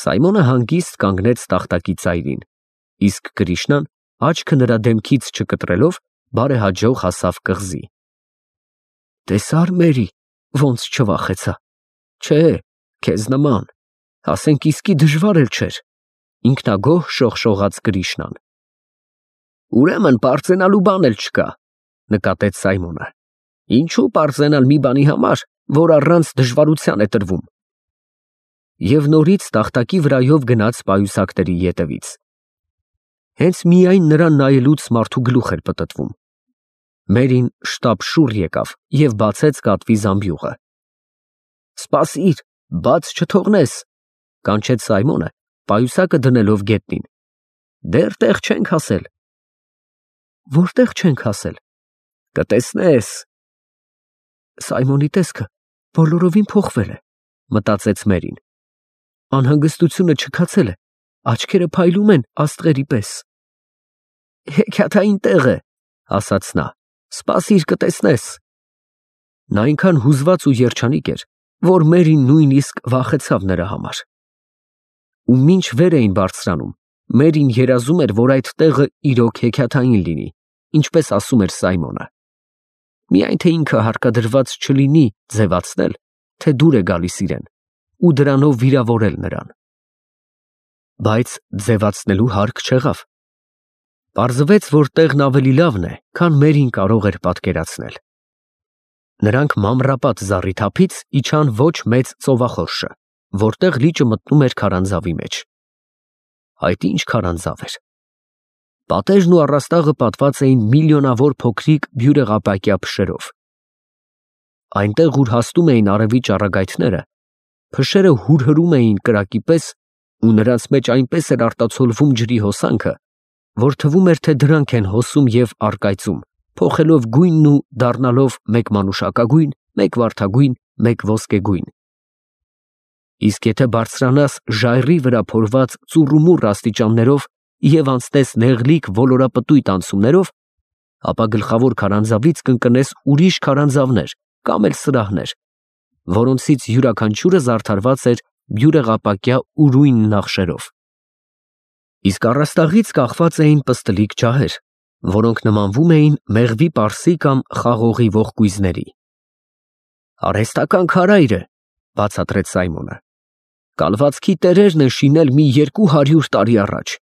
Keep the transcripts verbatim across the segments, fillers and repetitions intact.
Սայմոնը հանգիստ կանգնեց տախտակի ծայրին, իսկ Կրիշնան, աչքը նրա դեմքից չկտրելով, բարեհաջող հասավ կղզի։ Տեսա՞ր Մերի, ոնց չվախեցա։ Չէ, քեզ նման, ասենք իսկի դժվար էլ չէր, ինքնագոհ շողշողաց Կրիշնան։ Ուրեմն պարծենալու բան էլ չկա, նկատեց Սայմոնը։ Ինչու պարծենալ մի բանի համար, որ առանց դժվարության է տրվում։ Եվ նորից տախտակի վրայով գնաց պայուսակների ետևից։ Հենց միայն նրան նայելուց մարդու գլուխ էր պտտվում։ Մերին շտապ շուռ եկավ և բացեց կատվի զամբյուղը։ Սպասիր, բաց չթողնես, կանչեց Սայմոնը, պայուսակը դնելով գետնին։ Դեռ տեղ չենք հասել։ Որտեղ չենք հասել։ Կտեսնես։ Սայմոնի տեսքը բոլորովին փոխվել է, մտածեց Մերին։ Անհանգստությունը չքացել է, աչքերը փայլում են աստղերի պես։ Հեքիաթային տեղ է, ասաց նա, սպասիր կտեսնես։ Նա այնքան հուզված ու երջանիկ էր, որ Մերին նույնիսկ վախեցավ նրա համար։ Ու մինչ վեր էին բարձրանում, Մերին երազում էր, որ այդ տեղը իրոք հեքիաթային լինի, ինչպես ասում էր Սայմոնը։ Միայն թե ինքը հարկադրված չլինի ձևացնել, թե դուր է գալիս իրեն, ու դրանով վիրավորել նրան։ Բայց ձևացնելու հարկ չեղավ։ Պարզվեց, որ տեղն ավելի լավն է, քան Մերին կարող էր պատկերացնել։ Նրանք մանրապատ զառիթափից իջան ոչ մեծ ծովախորշը, որտեղ լիճը մտնում էր քարանձավի մեջ։ Այդ ինչ քարանձավ էր։ Պատերն ու առաստաղը պատված էին միլիոնավոր փոքրիկ բյուրեղապակյա փշերով։ Այնտեղ, ուր հասնում էին արևի ճառագայթները, փշերը հուրհրում էին կրակի պես, ու նրանց մեջ այնպես էր արտացոլվում ջրի հոսանքը, որ թվում էր, թե դրանք են հոսում և առկայծում, փոխելով գույնն ու դառնալով մեկ մանուշակագույն, մեկ վարդագույն, մեկ ոսկեգույն։ Իսկ եթե բարձրանաս ժայռի վրա փորված ծուռումուռ աստիճաններով և անցնես նեղլիկ ոլորապտույտ անցումներով, ապա գլխավոր քարանձավից կընկնես ուրիշ քարանձավներ կամ էլ սրահներ, որոնցից յուրաքանչյուրը զարդարված էր բյուրեղապակյա ուրույն նախշերով։ Իսկ առաստաղից կախված էին պստլիկ ջահեր, որոնք նմանվում էին մեղվի պարսի կամ խաղողի ողկույզների։ Արհեստական քարայր է, բացատրեց Սայմոնը։ Կալվածքի տերերն են շինել մի երկու հարյուր տարի առաջ։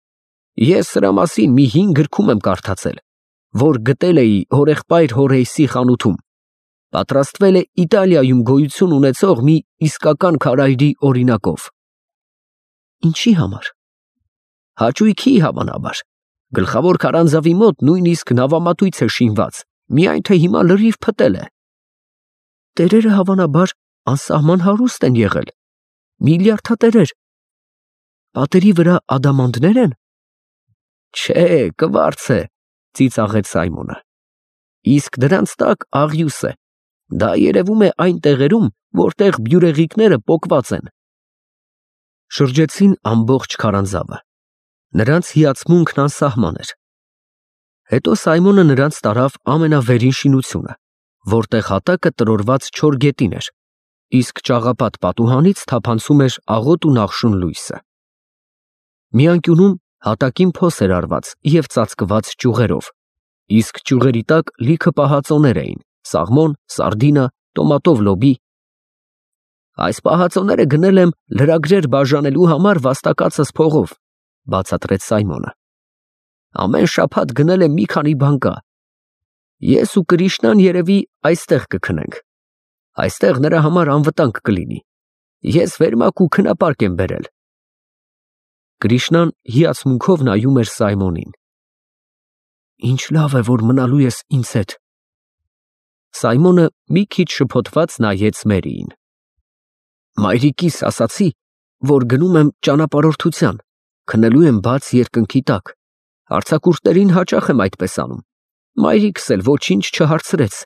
Ես սրա մասին մի հին գրքում եմ կարդացել, որ գտել էի հորեղբայր Հորրեյսի խանութում։ Պատրաստվել է Իտալիայում գոյություն ունեցող մի իսկական քարայրի օրինակով։ Ինչի համար։ Հաճույքի հավանաբար։ Գլխավոր քարանձավի մոտ նույնիսկ նավամատույց է շինված, միայն թե հիմա լրիվ փտել է։ Տերերը հավանաբար անսահման հարուստ են եղել, միլիարդատերեր։ Պատերի վրա ադամանդներ են։ Չէ, կվարձ է, ծիծաղեց Սայմոնը։ Իսկ դրանց տակ աղյուս է։ Դա երևում է այն տեղերում, որտեղ բյուրեղիկները պոկված են։ Շրջեցին ամբողջ քարանձավը։ Նրանց հիացմունքն անսահման էր։ Հետո Սայմոնը նրանց տարավ ամենավերին շինությունը, որտեղ հատակը տրորված չոր գետին էր, իսկ ճաղապատ պատուհանից թափանցում էր աղոտ ու նախշուն լույսը։ Մի անկյունում հատակին փոս էր արված և ծածկված ճյուղերով, իսկ ճյուղերի տակ լիքը պահածոներ էին՝ սաղմոն, սարդինա, տոմատով լոբի։ Այս պահածոները գնել եմ լրագրեր բաժանելու համար վաստակածս փողով, բացատրեց Սայմոնը։ Ամեն շաբաթ գնել եմ մի քանի բանկա։ Ես ու Կրիշնան երևի այստեղ կքնենք։ Այստեղ նրա համար անվտանգ կլինի։ Ես վերմակ ու քնապարկ եմ բերել։ Կրիշնան հիացմունքով նայում էր Սայմոնին։ Ինչ լավ է, որ մնալու ես ինձ հետ։ Սայմոնը մի քիչ շփոթված նայեց Մերիին։ Մայրիկիս ասացի, որ գնում եմ ճանապարհորդության, քնելու եմ բաց երկնքի տակ։ Արձակուրդներին հաճախ եմ այդպես անում։ Մայրիկս էլ ոչինչ չհարցրեց։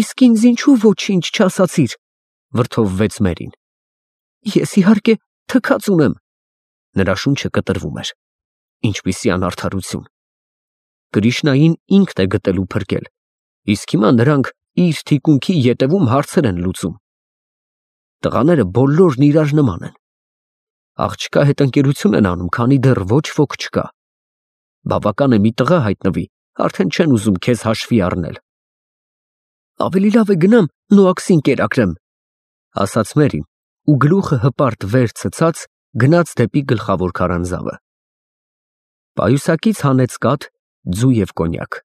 Իսկ ինձ ինչու ոչինչ չասացիր, վրդովվեց Մերին։ Ես իհարկե թքած ունեմ։ Նրա շունչը կտրվում էր։ Ինչպիսի անարդարություն։ Կրիշնային ինքն է գտել ու փրկել, իսկ հիմա նրանք իր թիկունքի ետևում հարցեր են լուծում։ Տղաները բոլորն իրար նման են։ Աղջկա հետ ընկերություն են անում, քանի դեռ ոչ ոք չկա։ Բավական է մի տղա հայտնվի, արդեն չեն ուզում քեզ հաշվի առնել։ Ավելի լավ է գնամ Նոաքսին կերակրեմ, ասաց Մերին, ու գլուխը հպարտ վեր ցցած գնաց դեպի գլխավոր քարանձավը։ Պայուսակից հանեց կաթ, ձու և կոնյակ,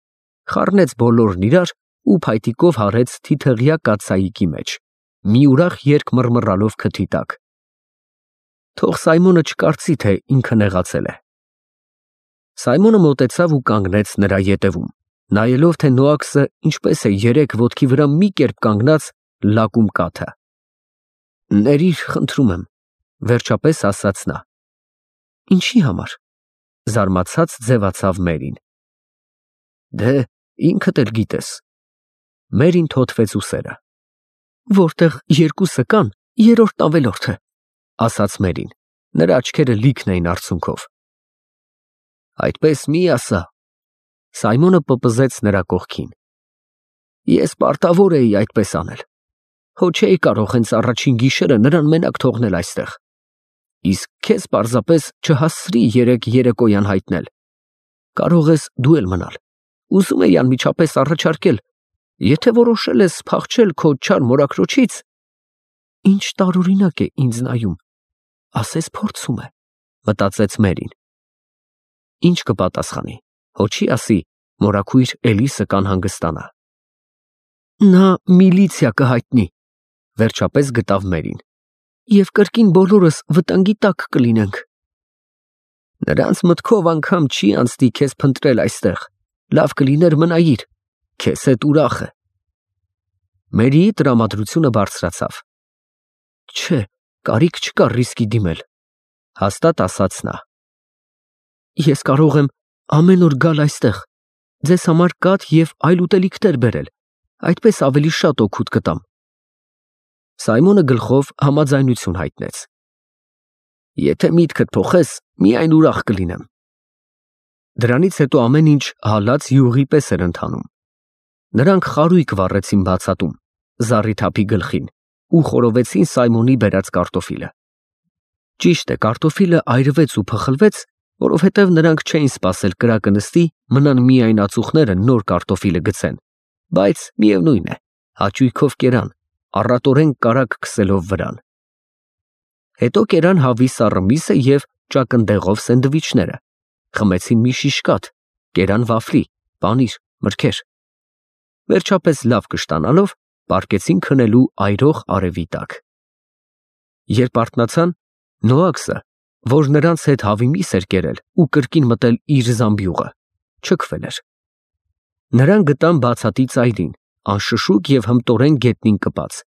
խառնեց բոլորն իրար ու փայտիկով հարեց թիթեղյա կաթսայիկի մեջ, մի ուրախ երկ մռմռալով քթի տակ։ Թող Սայմոնը չկարծի, թե ինքը նեղացել է։ Սայմոնը մոտեցավ ու կանգնեց նրա ետևում, նայելով, թե Նոաքսը ինչպես է երեք ոտքի վրա մի կերպ կանգնած լակում կաթը։ Ներիր, խնդրում եմ, վերջապես ասաց նա։ Ինչի համար, զարմացած ձևացավ Մերին։ Դե, ինքդ էլ գիտես։ Մերին թոթվեց ուսերը։ Որտեղ երկուսը կան, երրորդն ավելորդ է, ասաց Մերին, նրա աչքերը լիքն էին արցունքով։ Այդպես մի ասա։ Սայմոնը պպզեց նրա կողքին։ Ես պարտավոր էի այդպես անել։ Հո չէի կարող հենց առաջին գիշերը նրան մենակ թողնել այստեղ։ Իսկ քեզ պարզապես չհասցրի երեկ երեկոյան հայտնել։ Կարող ես դու էլ մնալ։ Ուզում էի անմիջապես առաջարկել, եթե որոշել ես փախչել քո չար մորաքրոջից, ինչ տարօրինակ է ինձ նայում, ասես փորձում է, մտածեց Մերին։ Ինչ կպատասխանի, հո չի ասի, մորաքույր Էլիսը կանհանգստանա։ Նա միլիցիա կհայտնի, վերջապես գտավ Մերին, և կրկին բոլորս վտանգի տակ կլինենք։ Նրանց մտքով անգամ չի անցնի քեզ փնտրել այստեղ, լավ կլիներ մնայիր, քեզ հետ ուրախ է։ Մերիի տրամադրությունը բարձրացավ։ Չէ, կարիք չկա ռիսկի դիմել, հաստատ ասաց նա։ Ես կարող եմ ամեն օր գալ այստեղ, ձեզ համար կաթ և այլ ուտելիքներ բերել, այդպես ավելի շատ օգուտ կտամ։ Սայմոնը գլխով համաձայնություն հայտնեց։ Եթե միտքդ փոխես, միայն ուրախ կլինեմ։ Դրանից հետո ամեն ինչ հալած յուղի պես էր ընթանում։ Նրանք խարույկ վառեցին բացատում, զառիթափի գլխին, ու խորովեցին Սայմոնի բերած կարտոֆիլը։ Ճիշտ է, կարտոֆիլը այրվեց ու փխլվեց, որովհետև նրանք չէին սպասել կրակը նստի, մնան միայն ածուխները նոր կարտոֆիլը գցեն, բայց միևնույն է, հաճույքով կերան, առատորեն կարագ քսելով վրան։ Հետո կերան հավի սառը միսը և ճակնդեղով սենդվիչները, խմեցին մի շիշ կաթ, կերան վաֆլի, պանիր, մրգեր։ Վերջապես լավ կշտանալով, պառկեցին քնելու այրող արևի տակ։ Երբ արթնացան, Նոաքսը, որ նրանց հետ հավի միս էր կերել ու կրկին մտել իր զամբյուղը, չքվել էր։ Նրան գտան բացատի ծայրին, անշշուկ և հմտորեն գետնին կպած,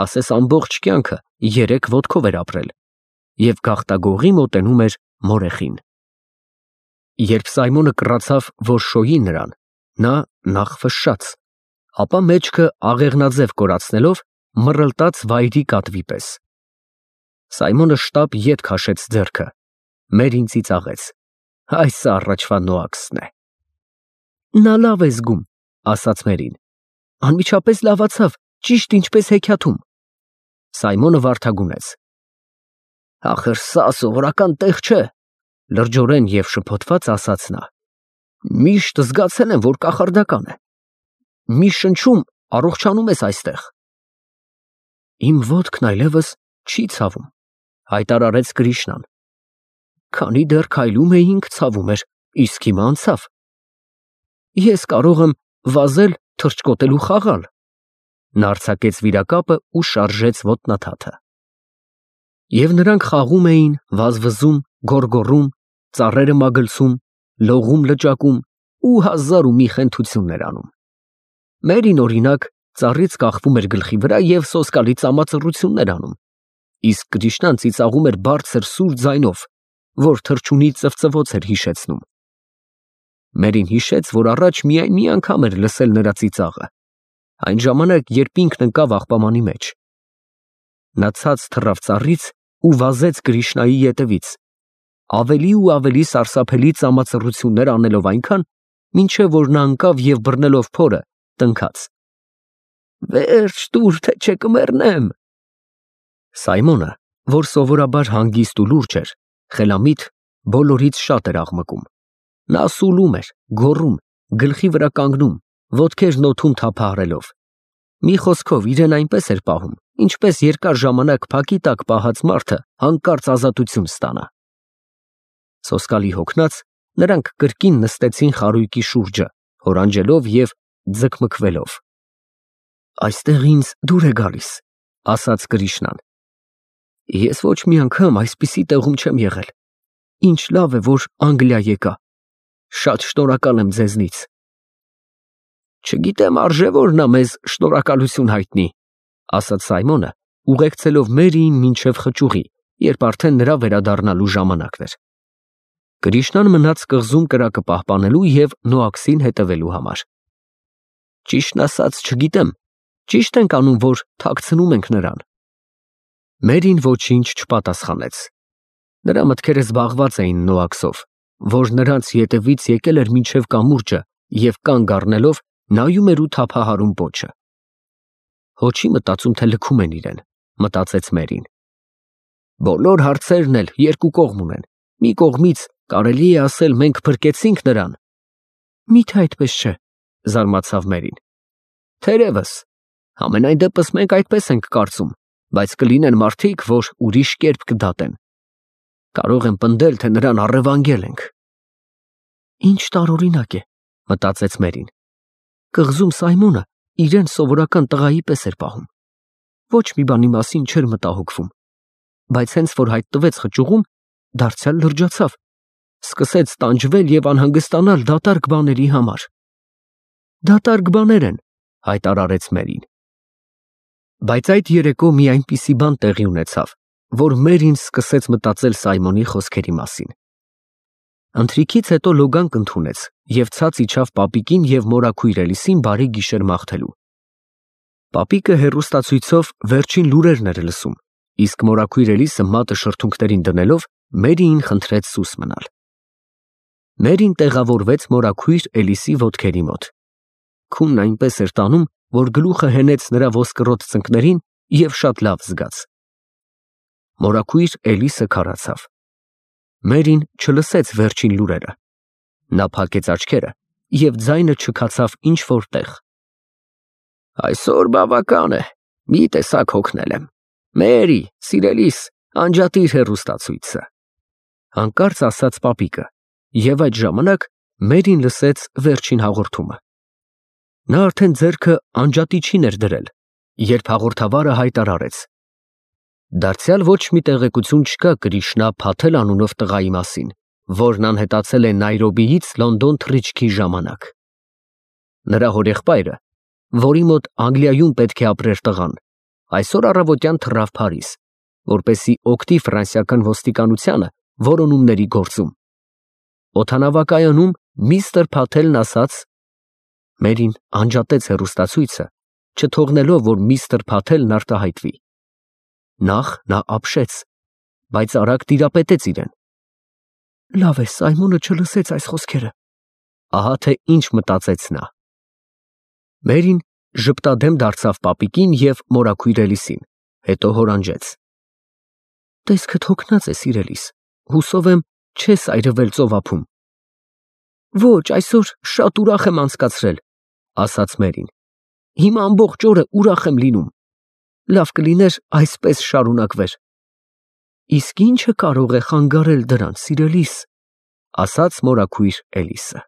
ասես ամբողջ կյանքը երեք ոտքով էր ապրել, և գաղտագողի մոտենում էր մորեխին։ Երբ Սայմոնը կռացավ, որ շոյի նրան, նա նախ ֆշշաց, ապա մեջքը աղեղնաձև կորացնելով մռլտաց վայրի կատվի պես։ Սայմոնը շտապ ետ քաշեց ձեռքը, Մերին ծիծաղեց։ Այս առաջվա Նոաքսն է։ Նա լավ է զգում, ասաց Մերին։ Անմիջապես լավացավ, ճիշտ ինչպես հեքիաթում։ Սայմոնը վարդագունեց։ Ախր սա սովորական տեղ չէ, լրջորեն և շփոթված ասաց նա։ Միշտ զգացել եմ, որ կախարդական է։ Մի շնչում առողջանում ես այստեղ։ Իմ ոտքն այլևս չի ցավում, հայտարարեց Կրիշնան։ Քանի դեռ քայլում էինք, ցավում էր, իսկ հիմա անցավ։ Ես կարող եմ վազել, թռչկոտել ու խաղալ։ Նա արձակեց վիրակապը ու շարժեց ոտնաթաթը։ Եվ նրանք խաղում էին, վազվզում, գոռգոռում, ծառերը մագլցում, լողում լճակում ու հազար ու մի խենթություններ անում։ Մերին, օրինակ, ծառից կախվում էր գլխի վրա և սոսկալի ծամածռություններ անում, իսկ Կրիշնան ծիծաղում էր բարձր սուր ձայնով, որ թռչունի ծվծվոց էր հիշեցնում։ Մերին հիշեց, որ առաջ միայն մի անգամ էր լսել նրա ծիծաղը, այն ժամանակ, երբ ինքն ընկավ աղբամանի մեջ։ Նա ցած թռավ ծառից ու վազեց Կրիշնայի ետևից, ավելի ու ավելի սարսափելի ծամածռություններ անելով այնքան, մինչև որ նա ընկավ և բռնելով փորը, տնքաց. Վերջ տուր, թե չէ կմեռնեմ։ Սայմոնը, որ սովորաբար հանգիստ ու լուրջ էր, խելամիտ, բոլորից շատ էր աղմկում։ Նա սուլում էր, գոռում, գլխի վրա կանգնում, ոտքերն օդում թափահարելով։ Մի խոսքով իրեն այնպես էր պահում, ինչպես երկար ժամանակ փակի տակ պահած մարդը հանկարծ ազատություն ստանա։ Սոսկալի հոգնած, նրանք կրկին նստեցին խարույկի շուրջը, հորանջելով և ձգմքվելով։ «Այստեղ ինձ դուր է գալիս», ասաց Կրիշնան։ «Ես ոչ մի անգամ այսպիսի տեղում չեմ եղել։ Ինչ լավ է, որ Անգլիա եկա։ Շատ շնորհակալ եմ ձեզնից»։ «Չգիտեմ արժե որ նա մեզ շնորհակալություն հայտնի», ասաց Սայմոնը, ուղեկցելով Մերիին մինչև խճուղի, երբ արդեն նրա վերադառնալու ժամանակն էր։ Կրիշնան մնաց կղզում կրակը պահպանելու և Նոաքսին հետևելու համար։ «Ճիշտն ասած, չգիտեմ, ճիշտ ենք անում, որ թաքցնում ենք նրան»։ Մերին ոչինչ չպատասխանեց։ Նրա մտքերը զբաղված էին Նոաքսով, որ նրանց ետևից եկել էր մինչև կամուրջը և կանգ առնելով նայում էր ու թափահարում պոչը։ «Հո չի մտածում, թե լքում են իրեն», մտածեց Մերին։ «Բոլոր հարցերն էլ երկու կողմ ունեն, մի կողմից կարելի է ասել մենք փրկեցինք նրան»։ «Մի՞թե այդպես չէ», զարմացավ Մերին։ «Թերևս, համենայն դեպս մենք այդպես ենք կարծում, բայց կլինեն մարդիկ, որ ուրիշ կերպ կդատեն։ Կարող են պնդել, թե նրան առևանգել ենք»։ «Ինչ տարօրինակ է», մտածեց Մերին։ Կղզում Սայմոնը իրեն սովորական տղայի պես էր պահում։ Ոչ մի բանի մասին չէր մտահոգվում, բայց հենց որ հայտնվեց խճուղում, դարձյալ լրջացավ, սկսեց տանջվել և անհանգստանալ դատարկ բաների համար։ «Դատարկ բաներ են», հայտարարեց Մերին։ Բայց այդ երեկո մի այնպիսի բան տեղի ունեցավ, որ Մերին սկսեց մտածել Սայմոնի խոսքերի մասին։ Ընթրիքից հետո լոգանք ընդունեց և ցած իջավ պապիկին և մորաքույր Էլիսին բարի գիշեր մաղթելու։ Պապիկը հեռուստացույցով վերջին լուրերն էր լսում, իսկ մորաքույր Էլիսը մատը շրթունքներին դնելով Մերիին խնդրեց սուս մնալ։ Մերին տեղավորվեց մորաքույր Էլիսի ոտքերի մոտ։ Քունն այնպես էր տանում, որ գլուխը հենեց նրա ոսկրոտ ծնկներին և շատ լավ զգաց։ Մորաքույր Էլիսը քարացավ։ Մերին չլսեց վերջին լուրերը։ Նա փակեց աչքերը և ձայնը չքացավ ինչ-որ տեղ։ «Այսօր բավական է, մի տեսակ հոգնել եմ։ Մերի, սիրելիս, անջատիր հեռուստացույցը», հանկարծ ասաց պապիկը, և այդ ժամանակ Մերին լսեց վերջին հաղորդումը։ Նա արդեն ձեռքը անջատիչին էր դրել, երբ հաղորդավարը հայտարարեց. «Դարձյալ ոչ մի տեղեկություն չկա Կրիշնա Փաթել անունով տղայի մասին, որն անհետացել է Նայրոբիից Լոնդոն թռիչքի ժամանակ։ Նրա հորեղբայրը, որի մոտ Անգլիայում պետք է ապրեր տղան, այսօր առավոտյան թռավ Փարիզ, որպեսզի օգտի ֆրանսիական ոստիկանությանը որոնումների գործում։ Օդանավակայանում միստր Փաթելն ասաց…» Մերին անջատեց հեռուստացույցը, չթողնելով, որ միստր Փաթելն արտահայտվի։ Նախ նա ապշեց, բայց արագ տիրապետեց իրեն։ «Լավ է, Սայմոնը չլսեց այս խոսքերը»։ Ահա թե ինչ մտածեց նա։ Մերին ժպտադեմ դարձավ պապիկին և մորաքույր Էլիսին, հետո հորանջեց. «Տեսքդ հոգնած է, սիրելիս, հուսով եմ չես այրվել ծովափում»։ «Ոչ, այսօր շատ ուրախ եմ անցկացրել», ասաց Մերին։ «Հիմա ամբողջ օրը ուրախ եմ լինում։ Լավ կլիներ այսպես շարունակվեր»։ «Իսկ ի՞նչը կարող է խանգարել դրան, սիրելիս», ասաց մորաքույր Էլիսը։